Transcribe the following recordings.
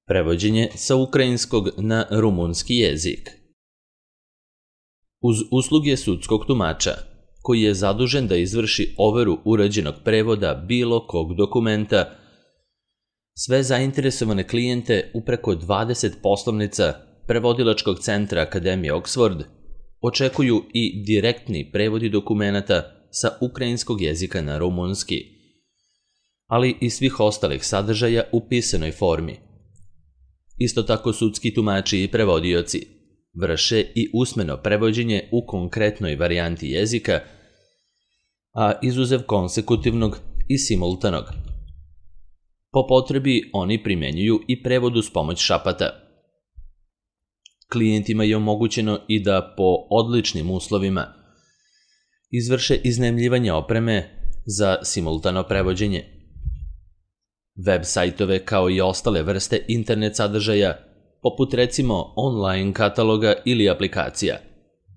Prevođenje sa ukrajinskog na rumunski jezik. Uz usluge sudskog tumača, koji je zadužen da izvrši overu urađenog prevoda bilo kog dokumenta, sve zainteresovane klijente u preko 20 poslovnica Prevodilačkog centra Akademije Oxford očekuju i direktni prevodi dokumenata sa ukrajinskog jezika na rumunski, ali i svih ostalih sadržaja u pisanoj formi. Isto tako sudski tumači i prevodioci vrše i usmeno prevođenje u konkretnoj varijanti jezika, a izuzev konsekutivnog i simultanog. Po potrebi oni primenjuju i prevod uz pomoć šapata. Klijentima je omogućeno i da po odličnim uslovima izvrše iznajmljivanje opreme za simultano prevođenje. Web sajtove kao i ostale vrste internet sadržaja, poput recimo online kataloga ili aplikacija,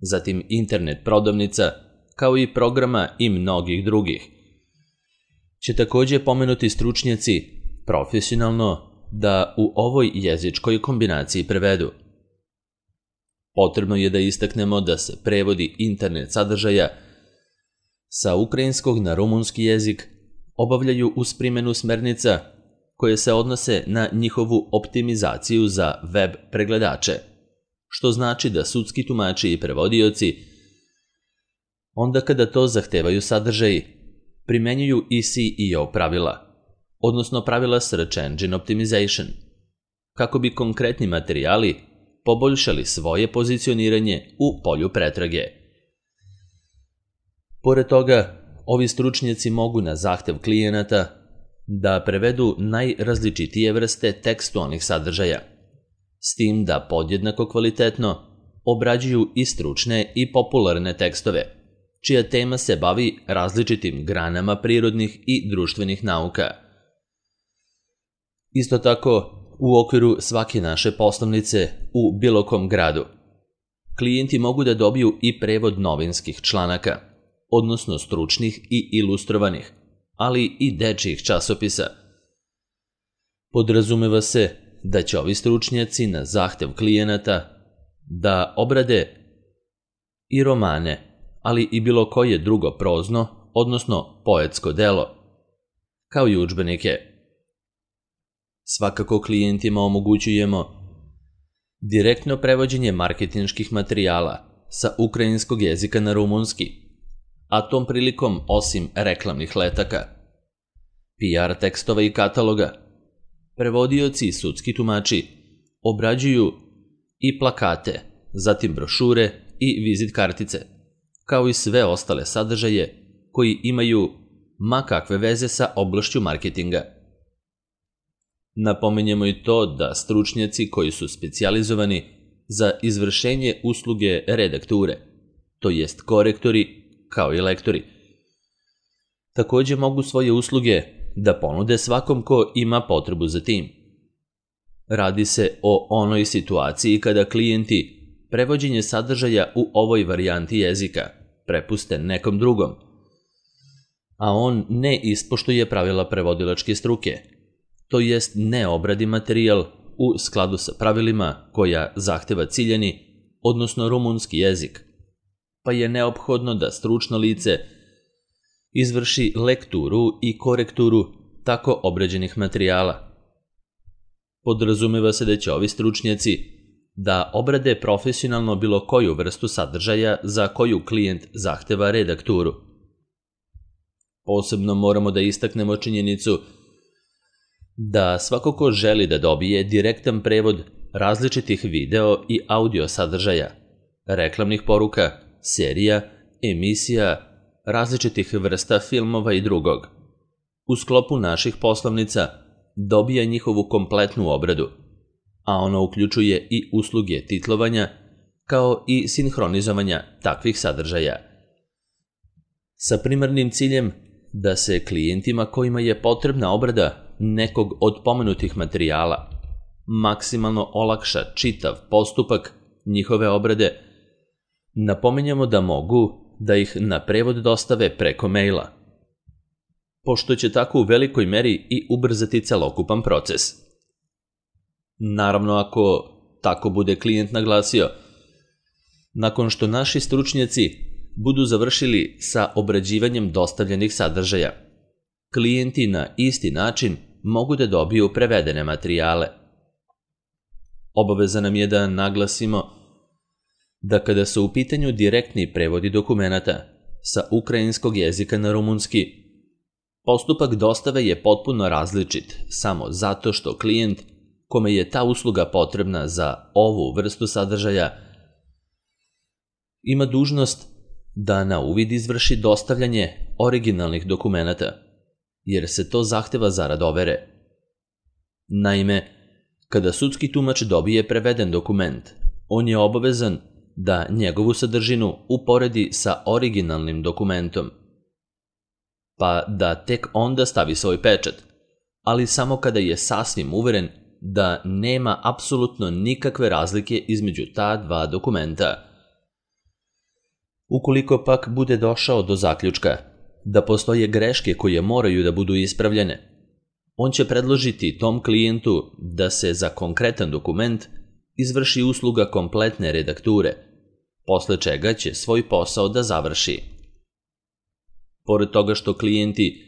zatim internet prodavnica, kao i programa i mnogih drugih, će također pomenuti stručnjaci profesionalno da u ovoj jezičkoj kombinaciji prevedu. Potrebno je da istaknemo da se prevodi internet sadržaja sa ukrajinskog na rumunski jezik obavljaju uz primjenu smernica koje se odnose na njihovu optimizaciju za web pregledače, što znači da sudski tumači i prevodioci, onda kada to zahtevaju sadržaji, primenjuju i SEO pravila, odnosno pravila Search Engine Optimization, kako bi konkretni materijali poboljšali svoje pozicioniranje u polju pretrage. Pored toga, ovi stručnjaci mogu na zahtev klijenata da prevedu najrazličitije vrste tekstualnih sadržaja, s tim da podjednako kvalitetno obrađuju i stručne i popularne tekstove, čija tema se bavi različitim granama prirodnih i društvenih nauka. Isto tako, u okviru svake naše poslovnice u bilo kom gradu, klijenti mogu da dobiju i prevod novinskih članaka, odnosno stručnih i ilustrovanih, ali i dečjih časopisa. Podrazumeva se da će ovi stručnjaci na zahtev klijenata da obrade i romane, ali i bilo koje drugo prozno, odnosno poetsko delo, kao i udžbenike. Svakako klijentima omogućujemo direktno prevođenje marketinških materijala sa ukrajinskog jezika na rumunski, a tom prilikom osim reklamnih letaka, PR tekstova i kataloga, prevodioci i sudski tumači obrađuju i plakate, zatim brošure i vizit kartice, kao i sve ostale sadržaje koji imaju ma kakve veze sa oblašću marketinga. Napominjemo i to da stručnjaci koji su specijalizovani za izvršenje usluge redakture, to jest korektori, kao i lektori, također mogu svoje usluge da ponude svakom ko ima potrebu za tim. Radi se o onoj situaciji kada klijenti prevođenje sadržaja u ovoj varijanti jezika prepuste nekom drugom, a on ne ispoštuje pravila prevodilačke struke, to jest ne obradi materijal u skladu sa pravilima koja zahteva ciljani, odnosno rumunski jezik, pa je neophodno da stručno lice izvrši lekturu i korekturu tako obrađenih materijala. Podrazumeva se da će ovi stručnjaci da obrade profesionalno bilo koju vrstu sadržaja za koju klijent zahteva redakturu. Posebno moramo da istaknemo činjenicu da svako ko želi da dobije direktan prevod različitih video i audio sadržaja, reklamnih poruka, serija, emisija, različitih vrsta filmova i drugog, u sklopu naših poslovnica dobija njihovu kompletnu obradu, a ono uključuje i usluge titlovanja, kao i sinhronizovanja takvih sadržaja. Sa primarnim ciljem da se klijentima kojima je potrebna obrada nekog od pomenutih materijala maksimalno olakša čitav postupak njihove obrade, napominjemo da mogu da ih na prevod dostave preko maila, pošto će tako u velikoj meri i ubrzati celokupan proces. Naravno ako tako bude klijent naglasio. Nakon što naši stručnjaci budu završili sa obrađivanjem dostavljenih sadržaja, klijenti na isti način mogu da dobiju prevedene materijale. Obaveza nam je da naglasimo da kada su u pitanju direktni prevodi dokumenata sa ukrajinskog jezika na rumunski, postupak dostave je potpuno različit samo zato što klijent kome je ta usluga potrebna za ovu vrstu sadržaja ima dužnost da na uvid izvrši dostavljanje originalnih dokumenata, jer se to zahteva zarad overe. Naime, kada sudski tumač dobije preveden dokument, on je obavezan da njegovu sadržinu uporedi sa originalnim dokumentom, pa da tek onda stavi svoj pečat, ali samo kada je sasvim uveren da nema apsolutno nikakve razlike između ta dva dokumenta. Ukoliko pak bude došao do zaključka da postoje greške koje moraju da budu ispravljene, on će predložiti tom klijentu da se za konkretan dokument izvrši usluga kompletne redakture, posle čega će svoj posao da završi. Pored toga što klijenti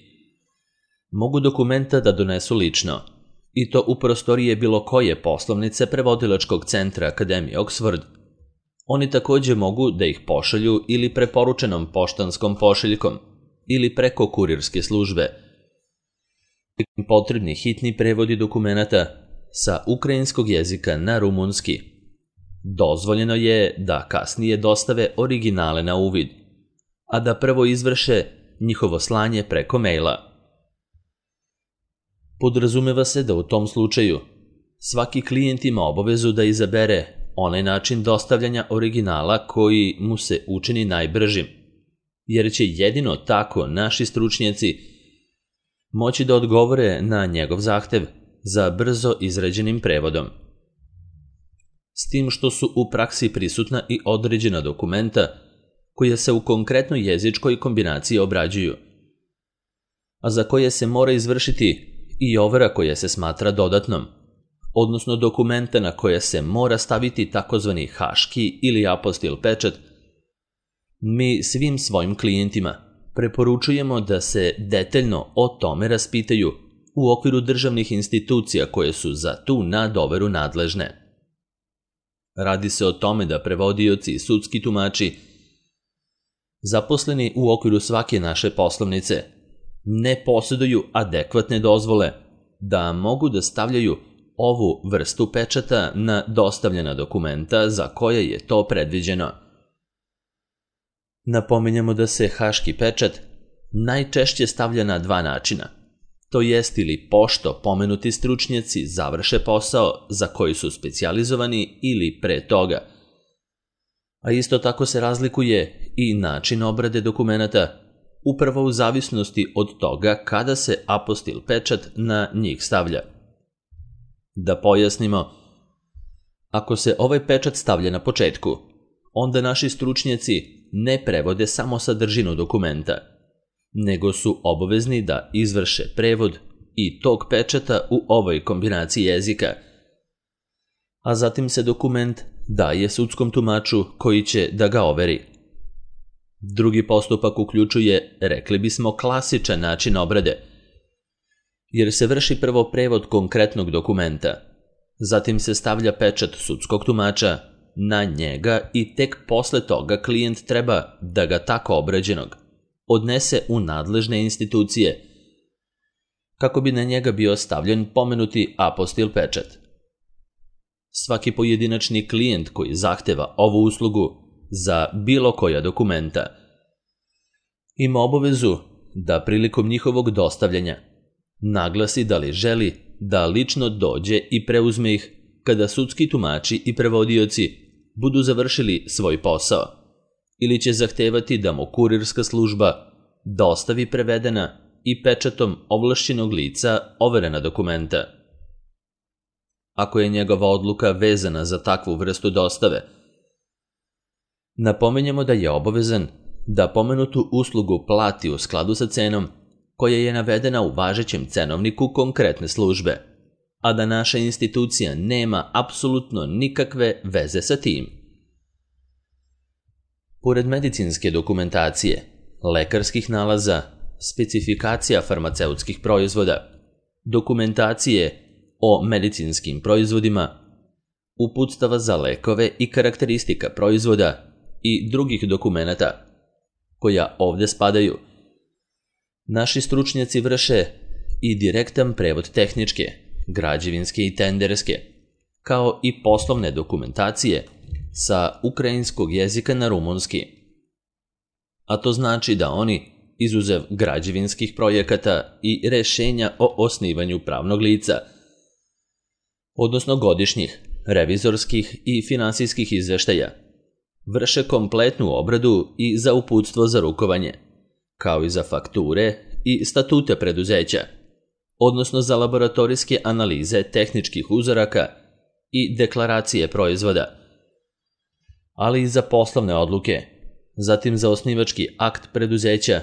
mogu dokumenta da donesu lično, i to u prostorije bilo koje poslovnice prevodilačkog centra Akademije Oxford, oni takođe mogu da ih pošalju ili preporučenom poštanskom pošiljkom ili preko kurirske službe. Potrebni hitni prevodi dokumenata sa ukrajinskog jezika na rumunski. Dozvoljeno je da kasnije dostave originale na uvid, a da prvo izvrše njihovo slanje preko maila. Podrazumeva se da u tom slučaju svaki klijent ima obavezu da izabere onaj način dostavljanja originala koji mu se učini najbržim, jer će jedino tako naši stručnjaci moći da odgovore na njegov zahtev za brzo izrađenim prevodom. S tim što su u praksi prisutna i određena dokumenta koja se u konkretnoj jezičkoj kombinaciji obrađuju, a za koje se mora izvršiti i overa koja se smatra dodatnom, odnosno dokumenta na koje se mora staviti takozvani haški ili apostil pečat. Mi svim svojim klijentima preporučujemo da se detaljno o tome raspitaju u okviru državnih institucija koje su za tu nadoveru nadležne. Radi se o tome da prevodioci i sudski tumači zaposleni u okviru svake naše poslovnice ne posjeduju adekvatne dozvole da mogu da stavljaju ovu vrstu pečata na dostavljena dokumenta za koje je to predviđeno. Napominjemo da se haški pečat najčešće stavlja na dva načina, to jest ili pošto pomenuti stručnjaci završe posao za koji su specijalizovani ili pre toga. A isto tako se razlikuje i način obrade dokumenata, upravo u zavisnosti od toga kada se apostil pečat na njih stavlja. Da pojasnimo, ako se ovaj pečat stavlja na početku, onda naši stručnjaci ne prevode samo sadržinu dokumenta, nego su obavezni da izvrše prevod i tog pečata u ovoj kombinaciji jezika, a zatim se dokument daje sudskom tumaču koji će da ga overi. Drugi postupak uključuje, rekli bismo, klasičan način obrade, jer se vrši prvo prevod konkretnog dokumenta, zatim se stavlja pečat sudskog tumača na njega i tek posle toga klijent treba da ga tako obrađenog odnese u nadležne institucije kako bi na njega bio stavljen pomenuti apostil pečat. Svaki pojedinačni klijent koji zahteva ovu uslugu za bilo koja dokumenta ima obavezu da prilikom njihovog dostavljanja naglasi da li želi da lično dođe i preuzme ih kada sudski tumači i prevodioci budu završili svoj posao, ili će zahtevati da mu kurirska služba dostavi prevedena i pečatom ovlašćenog lica overena dokumenta. Ako je njegova odluka vezana za takvu vrstu dostave, napominjemo da je obavezan da pomenutu uslugu plati u skladu sa cenom koja je navedena u važećem cenovniku konkretne službe, a da naša institucija nema apsolutno nikakve veze sa tim. Pored medicinske dokumentacije, lekarskih nalaza, specifikacija farmaceutskih proizvoda, dokumentacije o medicinskim proizvodima, uputstava za lekove i karakteristika proizvoda i drugih dokumenata, koja ovde spadaju, naši stručnjaci vrše i direktan prevod tehničke, građevinske i tenderske, kao i poslovne dokumentacije sa ukrajinskog jezika na rumunski. A to znači da oni, izuzev građevinskih projekata i rešenja o osnivanju pravnog lica, odnosno godišnjih, revizorskih i finansijskih izveštaja, vrše kompletnu obradu i za uputstvo za rukovanje, kao i za fakture i statute preduzeća, odnosno za laboratorijske analize tehničkih uzoraka i deklaracije proizvoda, ali i za poslovne odluke, zatim za osnivački akt preduzeća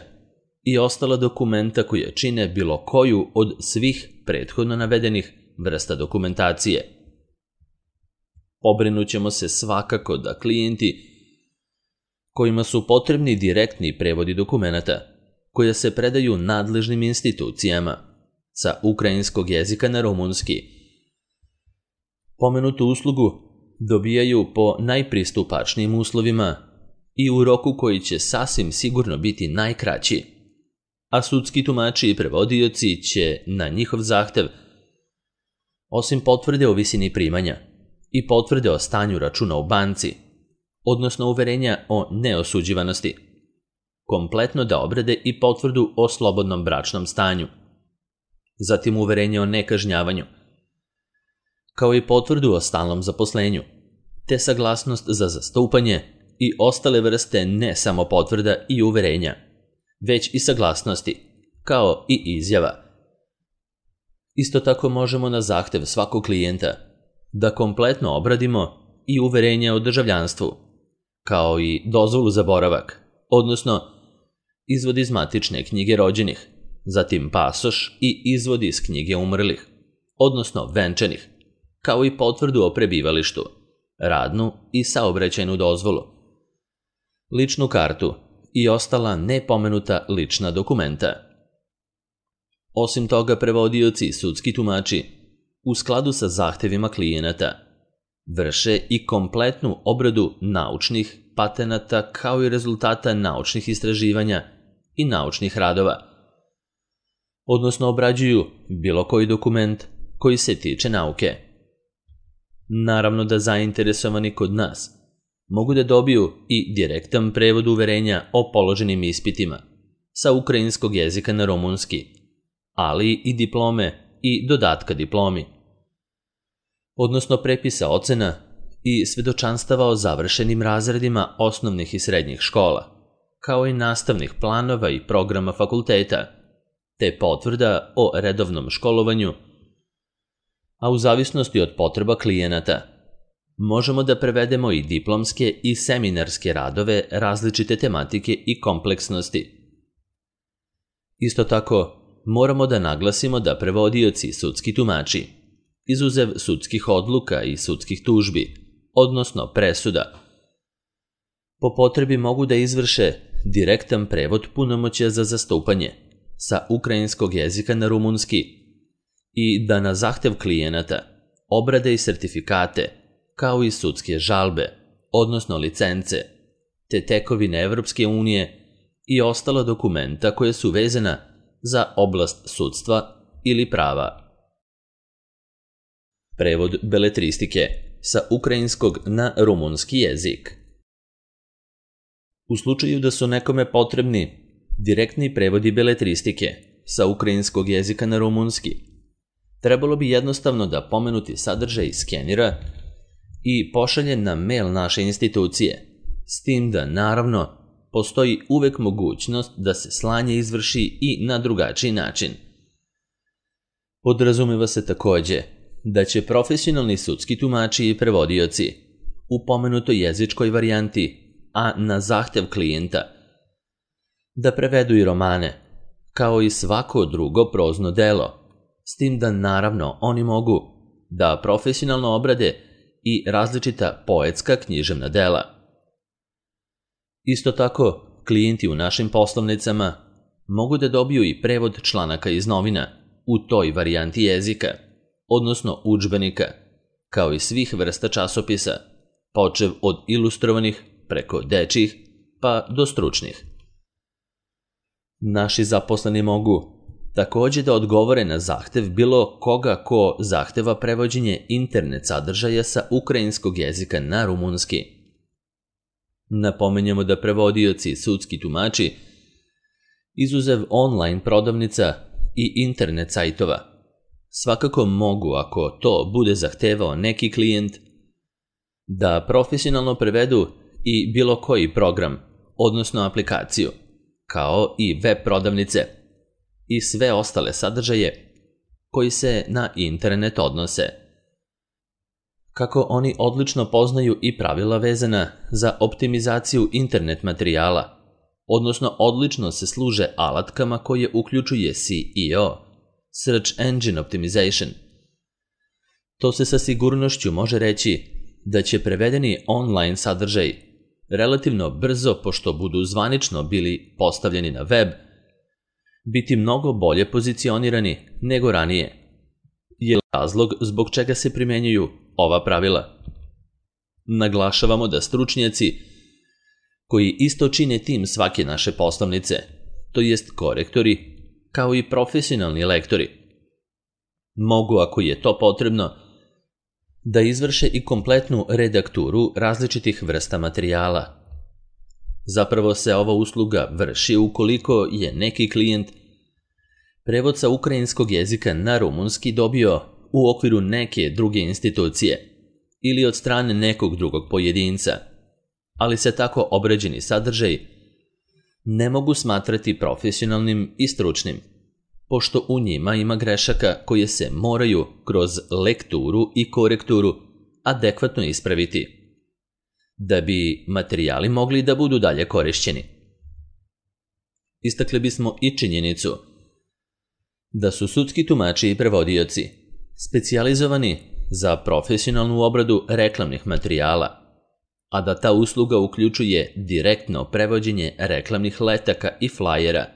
i ostala dokumenta koje čine bilo koju od svih prethodno navedenih vrsta dokumentacije. Pobrinućemo se svakako da klijenti kojima su potrebni direktni prevodi dokumenata, koja se predaju nadležnim institucijama sa ukrajinskog jezika na rumunski, pomenutu uslugu dobijaju po najpristupačnijim uslovima i u roku koji će sasvim sigurno biti najkraći, a sudski tumači i prevodioci će na njihov zahtev, osim potvrde o visini primanja i potvrde o stanju računa u banci, odnosno uverenja o neosuđivanosti, kompletno da obrade i potvrdu o slobodnom bračnom stanju, zatim uverenje o nekažnjavanju, kao i potvrdu o stalnom zaposlenju, te saglasnost za zastupanje i ostale vrste ne samo potvrda i uverenja, već i saglasnosti, kao i izjava. Isto tako možemo na zahtev svakog klijenta da kompletno obradimo i uverenja o državljanstvu, kao i dozvolu za boravak, odnosno izvod iz matične knjige rođenih, zatim pasoš i izvod iz knjige umrlih, odnosno venčanih, kao i potvrdu o prebivalištu, radnu i saobraćajnu dozvolu, ličnu kartu i ostala nepomenuta lična dokumenta. Osim toga, prevodioci i sudski tumači, u skladu sa zahtevima klijenata, vrše i kompletnu obradu naučnih patenata kao i rezultata naučnih istraživanja i naučnih radova, odnosno obrađuju bilo koji dokument koji se tiče nauke. Naravno da zainteresovani kod nas mogu da dobiju i direktan prevod uverenja o položenim ispitima sa ukrajinskog jezika na rumunski, ali i diplome i dodatka diplomi, odnosno prepisa ocena i svedočanstava o završenim razredima osnovnih i srednjih škola, kao i nastavnih planova i programa fakulteta, te potvrda o redovnom školovanju, a u zavisnosti od potreba klijenata možemo da prevedemo i diplomske i seminarske radove različite tematike i kompleksnosti. Isto tako, moramo da naglasimo da prevodioci i sudski tumači, izuzev sudskih odluka i sudskih tužbi, odnosno presuda, po potrebi mogu da izvrše direktan prevod punomoćja za zastupanje sa ukrajinskog jezika na rumunski i da na zahtev klijenata obrade i sertifikate, kao i sudske žalbe, odnosno licence, te tekovine Evropske unije i ostala dokumenta koje su vezana za oblast sudstva ili prava. Prevod beletristike sa ukrajinskog na rumunski jezik. U slučaju da su nekome potrebni direktni prevodi beletristike sa ukrajinskog jezika na rumunski, trebalo bi jednostavno da pomenuti sadržaj skenira i pošalje na mail naše institucije, s tim da, naravno, postoji uvek mogućnost da se slanje izvrši i na drugačiji način. Podrazumeva se takođe da će profesionalni sudski tumači i prevodioci u pomenutoj jezičkoj varijanti, a na zahtev klijenta, da prevedu i romane, kao i svako drugo prozno delo, s tim da naravno oni mogu da profesionalno obrade i različita poetska književna dela. Isto tako, klijenti u našim poslovnicama mogu da dobiju i prevod članaka iz novina u toj varijanti jezika, odnosno udžbenika, kao i svih vrsta časopisa, počev od ilustrovanih preko dečjih pa do stručnih. Naši zaposleni mogu takođe da odgovore na zahtev bilo koga ko zahteva prevođenje internet sadržaja sa ukrajinskog jezika na rumunski. Napomenjamo da prevodioci i sudski tumači, izuzev online prodavnica i internet sajtova, svakako mogu, ako to bude zahtevao neki klijent, da profesionalno prevedu i bilo koji program, odnosno aplikaciju, kao i web prodavnice i sve ostale sadržaje koji se na internet odnose. Kako oni odlično poznaju i pravila vezana za optimizaciju internet materijala, odnosno odlično se služe alatkama koje uključuje SEO, Search Engine Optimization. To se sa sigurnošću može reći da će prevedeni online sadržaj relativno brzo, pošto budu zvanično bili postavljeni na web, biti mnogo bolje pozicionirani nego ranije. Je razlog zbog čega se primenjuju ova pravila. Naglašavamo da stručnjaci koji isto čine tim svake naše poslovnice, to jest korektori, kao i profesionalni lektori, mogu, ako je to potrebno, da izvrše i kompletnu redakturu različitih vrsta materijala. Zapravo se ova usluga vrši ukoliko je neki klijent prevod sa ukrajinskog jezika na rumunski dobio u okviru neke druge institucije ili od strane nekog drugog pojedinca, ali se tako obrađeni sadržaj ne mogu smatrati profesionalnim i stručnim, pošto u njima ima grešaka koje se moraju kroz lekturu i korekturu adekvatno ispraviti, da bi materijali mogli da budu dalje korišćeni. Istakli bismo i činjenicu da su sudski tumači i prevodioci specijalizovani za profesionalnu obradu reklamnih materijala, a da ta usluga uključuje direktno prevođenje reklamnih letaka i flajera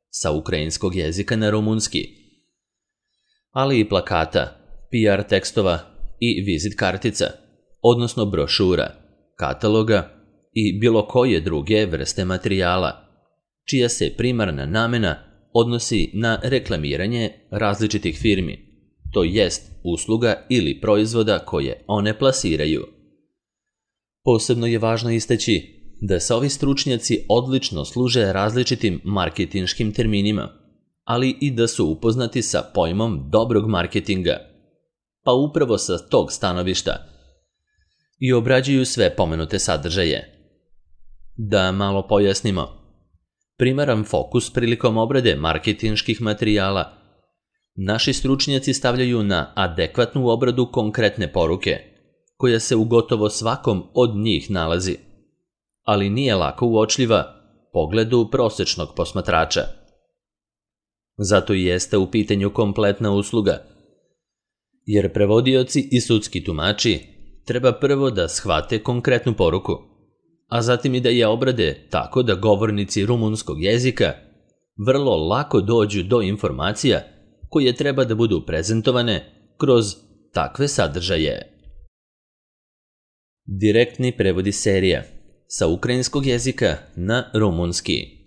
sa ukrajinskog jezika na rumunski, ali i plakata, PR tekstova i vizit kartica, odnosno brošura, kataloga i bilo koje druge vrste materijala, čija se primarna namena odnosi na reklamiranje različitih firmi, to jest usluga ili proizvoda koje one plasiraju. Posebno je važno istaći da se ovi stručnjaci odlično služe različitim marketinškim terminima, ali i da su upoznati sa pojmom dobrog marketinga, pa upravo sa tog stanovišta i obrađuju sve pomenute sadržaje. Da malo pojasnimo, primaran fokus prilikom obrade marketinških materijala naši stručnjaci stavljaju na adekvatnu obradu konkretne poruke, koja se u gotovo svakom od njih nalazi, ali nije lako uočljiva pogledu prosečnog posmatrača. Zato i jeste u pitanju kompletna usluga, jer prevodioci i sudski tumači treba prvo da shvate konkretnu poruku, a zatim i da je obrade tako da govornici rumunskog jezika vrlo lako dođu do informacija koje treba da budu prezentovane kroz takve sadržaje. Direktni prevodi serija sa ukrajinskog jezika na rumunski.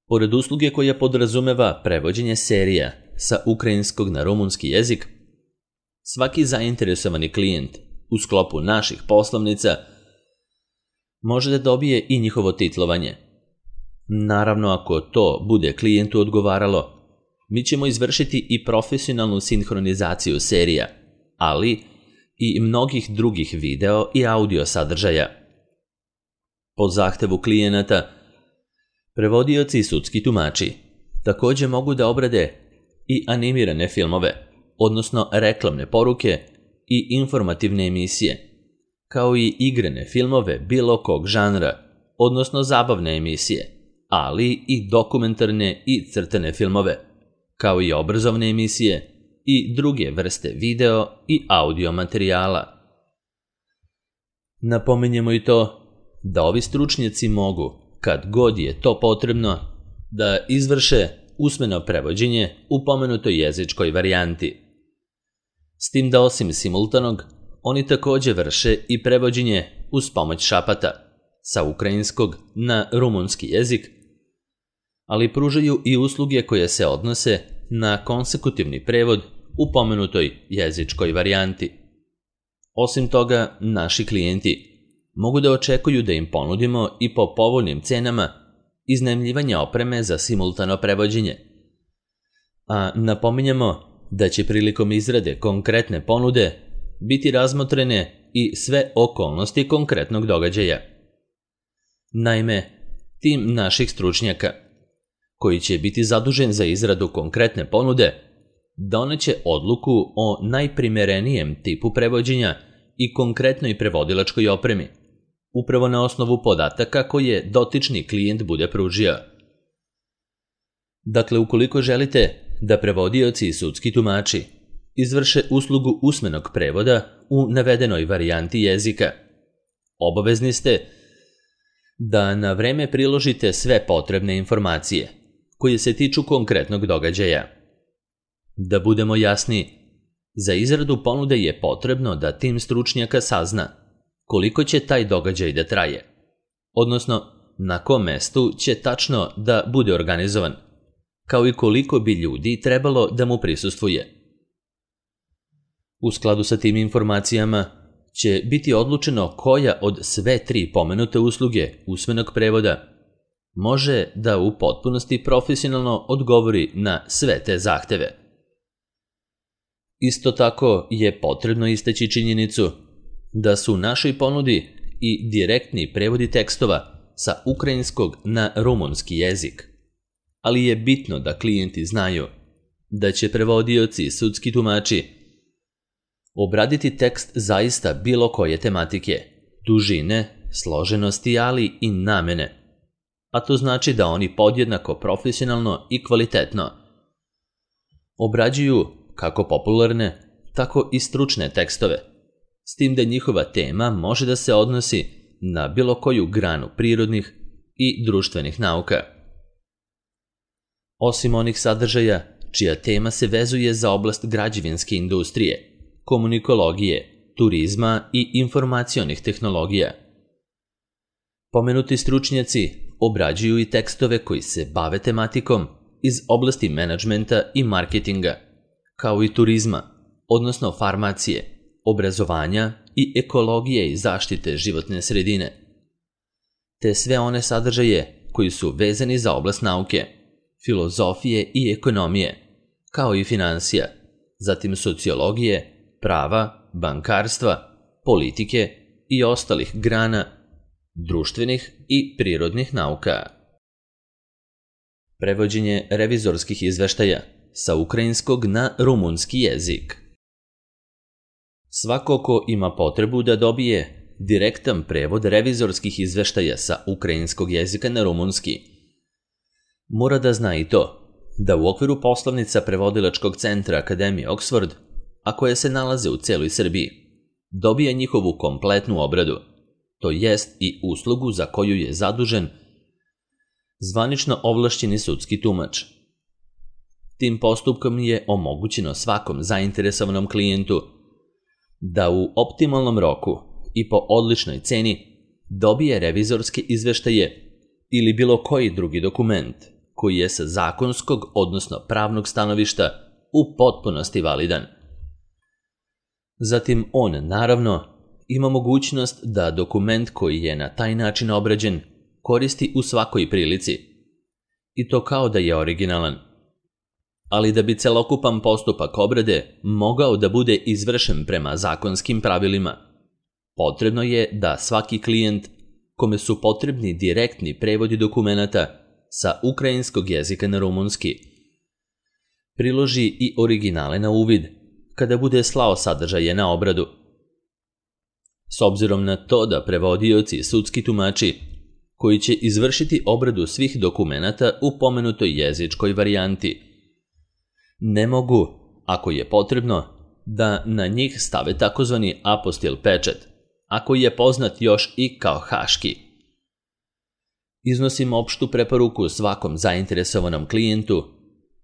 Pored usluge koja podrazumeva prevođenje serija sa ukrajinskog na rumunski jezik, svaki zainteresovani klijent u sklopu naših poslovnica može da dobije i njihovo titlovanje. Naravno, ako to bude klijentu odgovaralo, mi ćemo izvršiti i profesionalnu sinhronizaciju serija, ali i mnogih drugih video i audio sadržaja. Po zahtevu klijenata, prevodioci i sudski tumači takođe mogu da obrade i animirane filmove, odnosno reklamne poruke i informativne emisije, kao i igrane filmove bilo kog žanra, odnosno zabavne emisije, ali i dokumentarne i crtane filmove, kao i obrazovne emisije i druge vrste video i audio materijala. Napominjemo i to da ovi stručnjaci mogu, kad god je to potrebno, da izvrše usmeno prevođenje u pomenutoj jezičkoj varijanti. S tim da osim simultanog, oni također vrše i prevođenje uz pomoć šapata sa ukrajinskog na rumunski jezik, ali pružaju i usluge koje se odnose na konsekutivni prevod u pomenutoj jezičkoj varijanti. Osim toga, naši klijenti mogu da očekuju da im ponudimo i po povoljnim cenama iznajmljivanje opreme za simultano prevođenje. A napominjemo da će prilikom izrade konkretne ponude biti razmotrene i sve okolnosti konkretnog događaja. Naime, tim naših stručnjaka, koji će biti zadužen za izradu konkretne ponude, doneće odluku o najprimerenijem tipu prevođenja i konkretnoj prevodilačkoj opremi, upravo na osnovu podataka koje dotični klijent bude pružio. Dakle, ukoliko želite da prevodioci i sudski tumači izvrše uslugu usmenog prevoda u navedenoj varijanti jezika, obavezni ste da na vreme priložite sve potrebne informacije koje se tiču konkretnog događaja. Da budemo jasni, za izradu ponude je potrebno da tim stručnjaka sazna koliko će taj događaj da traje, odnosno na kom mestu će tačno da bude organizovan, kao i koliko bi ljudi trebalo da mu prisustvuje. U skladu sa tim informacijama će biti odlučeno koja od sve 3 pomenute usluge usmenog prevoda može da u potpunosti profesionalno odgovori na sve te zahteve. Isto tako je potrebno istaći činjenicu da su u našoj ponudi i direktni prevodi tekstova sa ukrajinskog na rumunski jezik, ali je bitno da klijenti znaju da će prevodioci i sudski tumači obraditi tekst zaista bilo koje tematike, dužine, složenosti, ali i namene, a to znači da oni podjednako profesionalno i kvalitetno obrađuju kako popularne, tako i stručne tekstove, s tim da njihova tema može da se odnosi na bilo koju granu prirodnih i društvenih nauka. Osim onih sadržaja čija tema se vezuje za oblast građevinske industrije, komunikologije, turizma i informacionih tehnologija. Pomenuti stručnjaci obrađuju i tekstove koji se bave tematikom iz oblasti menadžmenta i marketinga, kao i turizma, odnosno farmacije, obrazovanja i ekologije i zaštite životne sredine, te sve one sadržaje koji su vezani za oblast nauke, filozofije i ekonomije, kao i finansija, zatim sociologije, prava, bankarstva, politike i ostalih grana društvenih i prirodnih nauka. Prevođenje revizorskih izveštaja sa ukrajinskog na rumunski jezik. Svako ko ima potrebu da dobije direktan prevod revizorskih izveštaja sa ukrajinskog jezika na rumunski, mora da zna i to da u okviru poslovnica prevodilačkog centra Akademije Oxford, a koje se nalaze u celoj Srbiji, dobija njihovu kompletnu obradu, to jest i uslugu za koju je zadužen zvanično ovlašćeni sudski tumač. Tim postupkom je omogućeno svakom zainteresovanom klijentu da u optimalnom roku i po odličnoj ceni dobije revizorske izveštaje ili bilo koji drugi dokument koji je sa zakonskog, odnosno pravnog stanovišta u potpunosti validan. Zatim on, naravno, ima mogućnost da dokument koji je na taj način obrađen koristi u svakoj prilici, i to kao da je originalan. Ali da bi celokupan postupak obrade mogao da bude izvršen prema zakonskim pravilima, potrebno je da svaki klijent kome su potrebni direktni prevodi dokumenata sa ukrajinskog jezika na rumunski priloži i originale na uvid kada bude slao sadržaje na obradu. S obzirom na to da prevodioci i sudski tumači koji će izvršiti obradu svih dokumenata u pomenutoj jezičkoj varijanti Ne mogu, ako je potrebno, da na njih stave takozvani apostil pečat, a koji je poznat još i kao haški. Iznosim opštu preporuku svakom zainteresovanom klijentu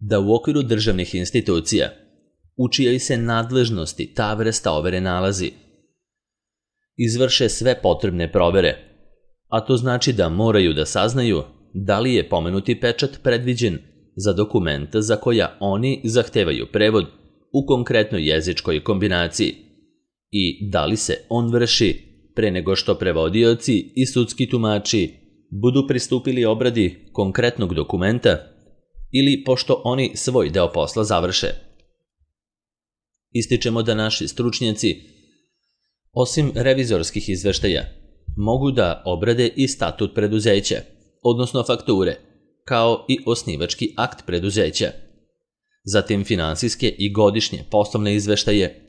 da u okviru državnih institucija, u čijoj se nadležnosti ta vrsta overe nalazi, izvrše sve potrebne provere, a to znači da moraju da saznaju da li je pomenuti pečat predviđen za dokumenta za koja oni zahtevaju prevod u konkretnoj jezičkoj kombinaciji i da li se on vrši pre nego što prevodioci i sudski tumači budu pristupili obradi konkretnog dokumenta ili pošto oni svoj deo posla završe. Ističemo da naši stručnjaci, osim revizorskih izveštaja, mogu da obrade i statut preduzeća, odnosno fakture, kao i osnivački akt preduzeća, zatim finansijske i godišnje poslovne izveštaje,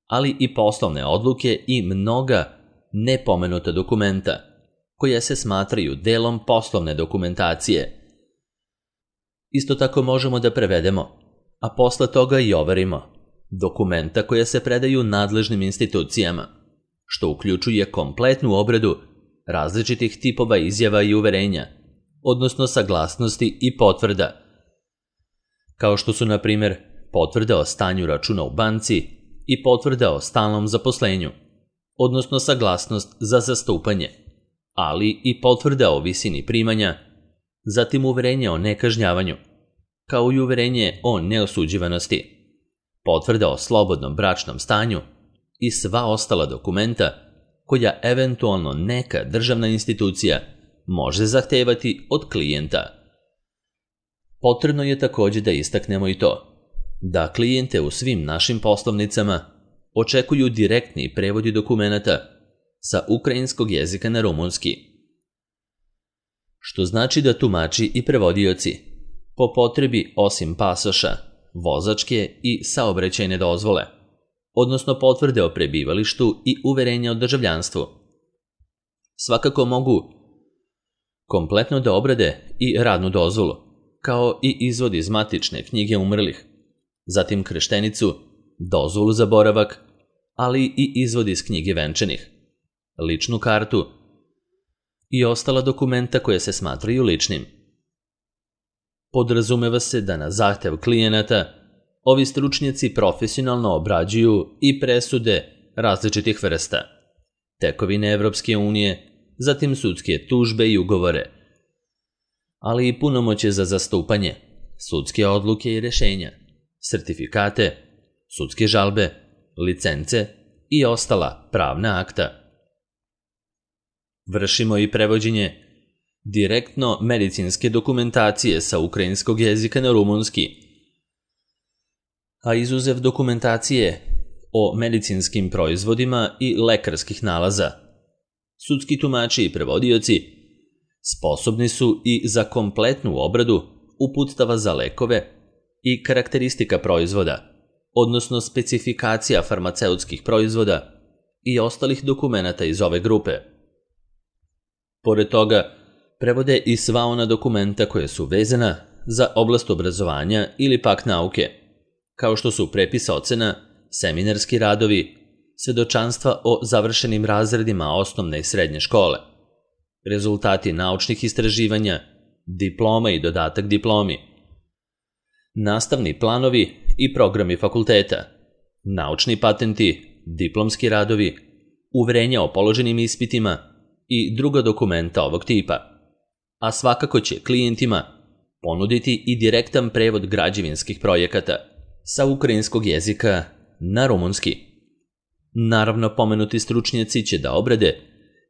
ali i poslovne odluke i mnoga nepomenuta dokumenta, koja se smatraju delom poslovne dokumentacije. Isto tako možemo da prevedemo, a posle toga i overimo, dokumenta koja se predaju nadležnim institucijama, što uključuje kompletnu obradu različitih tipova izjava i uverenja, odnosno saglasnosti i potvrda, kao što su, na primjer, potvrda o stanju računa u banci i potvrda o stalnom zaposlenju, odnosno saglasnost za zastupanje, ali i potvrda o visini primanja, zatim uverenje o nekažnjavanju, kao i uverenje o neosuđivanosti, potvrda o slobodnom bračnom stanju i sva ostala dokumenta koja eventualno neka državna institucija može zahtevati od klijenta. Potrebno je također da istaknemo i to da klijente u svim našim poslovnicama očekuju direktni prevodi dokumenata sa ukrajinskog jezika na rumunski, što znači da tumači i prevodioci po potrebi osim pasoša, vozačke i saobraćajne dozvole, odnosno potvrde o prebivalištu i uverenja o državljanstvu, svakako mogu kompletno da obrade i radnu dozvolu, kao i izvod iz matične knjige umrlih, zatim krštenicu, dozvolu za boravak, ali i izvod iz knjige venčanih, ličnu kartu i ostala dokumenta koje se smatraju ličnim. Podrazumeva se da na zahtev klijenata ovi stručnjaci profesionalno obrađuju i presude različitih vrsta, tekovine Evropske unije, zatim sudske tužbe i ugovore, ali i punomoćje za zastupanje, sudske odluke i rešenja, sertifikate, sudske žalbe, licence i ostala pravna akta. Vršimo i prevođenje direktno medicinske dokumentacije sa ukrajinskog jezika na rumunski, a izuzev dokumentacije o medicinskim proizvodima i lekarskih nalaza, sudski tumači i prevodioci sposobni su i za kompletnu obradu uputstava za lekove i karakteristika proizvoda, odnosno specifikacija farmaceutskih proizvoda i ostalih dokumenata iz ove grupe. Pored toga, prevode i sva ona dokumenta koja su vezana za oblast obrazovanja ili pak nauke, kao što su prepis ocena, seminarski radovi, svedočanstva o završenim razredima osnovne i srednje škole, rezultati naučnih istraživanja, diploma i dodatak diplomi, nastavni planovi i programi fakulteta, naučni patenti, diplomski radovi, uverenja o položenim ispitima i druga dokumenta ovog tipa, a svakako će klijentima ponuditi i direktan prevod građevinskih projekata sa ukrajinskog jezika na rumunski. Naravno, pomenuti stručnjaci će da obrade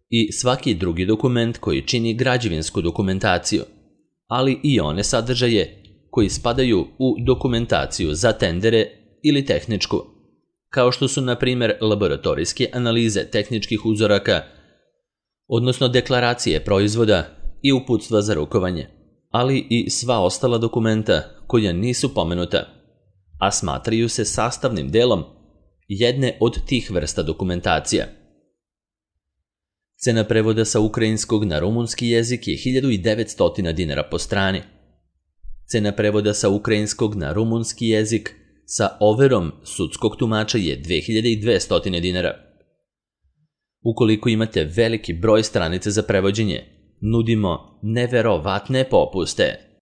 i svaki drugi dokument koji čini građevinsku dokumentaciju, ali i one sadržaje koji spadaju u dokumentaciju za tendere ili tehničku, kao što su, na primjer, laboratorijske analize tehničkih uzoraka, odnosno deklaracije proizvoda i uputstva za rukovanje, ali i sva ostala dokumenta koja nisu pomenuta, a smatraju se sastavnim delom jedne od tih vrsta dokumentacija. Cena prevoda sa ukrajinskog na rumunski jezik je 1900 dinara po strani. Cena prevoda sa ukrajinskog na rumunski jezik sa overom sudskog tumača je 2200 dinara. Ukoliko imate veliki broj stranica za prevođenje, nudimo neverovatne popuste.